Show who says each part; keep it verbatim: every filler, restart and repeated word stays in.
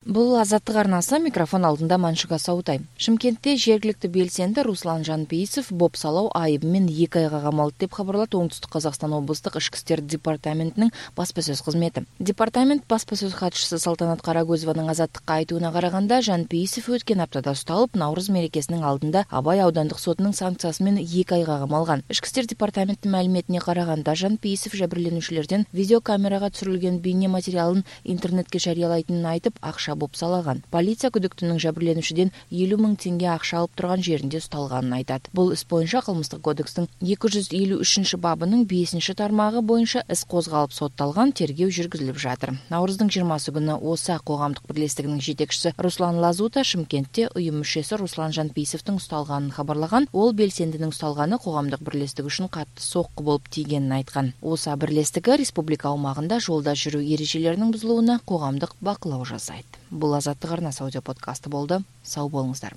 Speaker 1: Бул Азаттык арнасы, микрофон алдында Маншыга Саутай. Шымкентте жергиликтүү белсенди Руслан Жанпейисов бопсалоо айыбы менен эки айга камалды деп кабарлады Оңтүстүк Казакстан облустук Ички иштер департаментинин баспа сөз кызмети. Департамент баспа сөз катчысы Салтанат Карагөзованын Азаттыкка айтууна караганда, Жанпейисов өткөн аптада ушталып, Наурыз мерекесинин алдында Абай аудандык сотунун санкциясы менен эки айга камалган. Ички иштер департаментинин маалиметине караганда, Жанпейисов жабирленүүчүлөрдөн видеокамерага түшүрүлгөн бейне материалын интернетке жарыялайтынын айтып, акча бопсалаган. Полиция күдүктүүнүн жабирленүүчүдөн элүү миң теңге акча алып турган жеринде ушталганын айтат. Бул іс боюнча Кылмыштык кодекстин эки жүз элүү үчүнчү бабынын бешинчи тармагы боюнча іс козголуп сотталган, тергөө жүргүзүлүп жатыр. Наурыздын жыйырмасы күнү ОСА коомдук бирлестигинин жетекчиси Руслан Лазута Шымкентте уюм мүчөсү Руслан Жанпейисовдун ушталганын кабарлаган. Ол белсендинин ушталганы коомдук бирлестик үчүн катты сокку болуп тийгенин айткан. ОСА бирлестиги республика аумагында жолдо жүрүү эрежелеринин бузулууна коомдук бакылоо жасайт. Бул Азаттык арнасы аудио подкасты болду. Сау болуңуздар.